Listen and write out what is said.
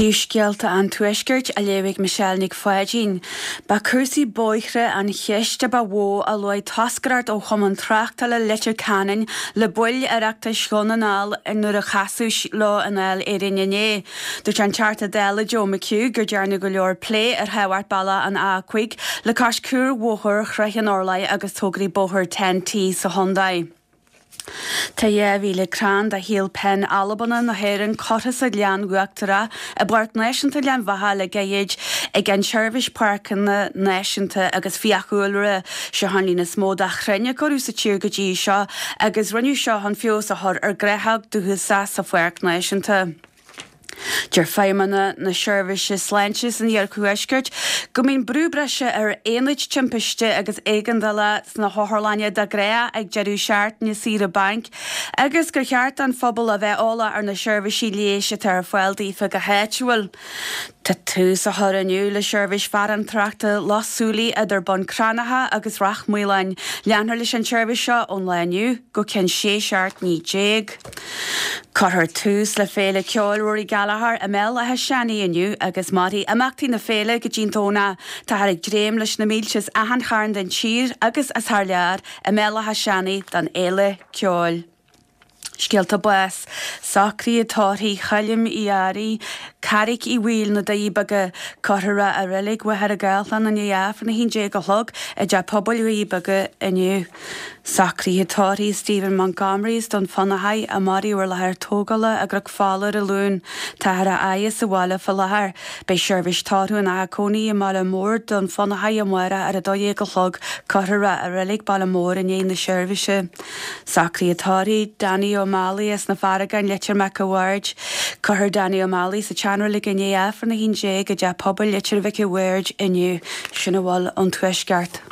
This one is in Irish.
Príomhscéalta an Tuaiscirt á léamh ag Michelle Nic Pháidín. Ba cúrsaí bóithre an cheist a ba mhó a luaigh toscaireacht ó Chumann Tráchtála Leitir Ceanainn le baill Oireachtais Dhún na nGall nuair a casadh leo i nDáil Éireann inné. Dúirt an Teachta Dála Joe McHugh gur dearnadh go leor plé ar thábhacht bealach an A5 le cois cuarbhóthar Shraith an Orlaigh agus tograí bóthair TEN-T sa chontae. Tá 2,000 crann de shíol pinn Albanach na hÉireann curtha sa Ghleann Uachtarach i bPáirc Náisiúnta Ghleann Bheatha le gairid ag an tSeirbhís Páirceanna Náisiúnta agus Fiadhúlra. Seo an líon is mó de chrainn a cuireadh sa tír go dtí seo agus rinneadh seo chun feabhas a chur ar ghnáthóg dúchasach sa Pháirc Náisiúnta. Deir feidhmeanna na Seirbhíse Sláinte san Iarthuaisceart go mbíonn brú breise ar aonaid timpiste agus éigeandála sna hotharlanna de ghnáth ag deireadh seachtaine saoire bainc agus gur cheart don phobal a bheith eolach ar na seirbhísí leighis atá ar fáil daofa go háitiúil. Tá tús á chur inniu le seirbhís farantóireachta Loch Súilí idir Bun Cranncha agus Ráth Maoláin. Leanfar leis an tseirbhís seo ón lá inniu go ceann 16 seachtaine. Cuirfear tús le Féile Ceoil Rory Gallagher i mBéal Átha Seanaidh inniu agus mairfidh imeachtaí na féile go dtí'n Domhnach. Táthar ag dréim leis na mílte as achan chearn den tír agus as thar lear i mBéal Átha Seanaidh don fhéile ceoil. Scéalta báis, Socruithe tórraimh Choilm Uí Fhearraigh, Carraic Uí Bhaoill, Na Doirí Beaga. Cuirfear é i Reilig Mhachaire Gathlán i ndiaidh Aifreann 11 a chlog i dTeach Pobail Dhoirí Beaga inniu. Socruithe tórraimh Stephen Montgomery as Dún Fionnachaidh, a maraíodh ar láthair tógála i gCnoc Fola ar an Luan. Táthar á fhaire sa bhaile fá láthair. Beidh seirbhís tórraimh ina theach cónaí i mBaile Móir, Dún Fionnachaidh amárach ar 12 a chlog. Cuirfear é i Reilig Baile Móir i ndiaidh na seirbhíse. Socruithe tórraimh Danny O'Malley as na Farragáin, Leitir Mhic a' Bhaird. Cuirfear Danny O'Malley sa tseanreilig i ndiaidh Aifreann 11 i dTeach Pobail Leitir Mhic a' Bhaird inniu. Sin a bhfuil ón Tuaisceart.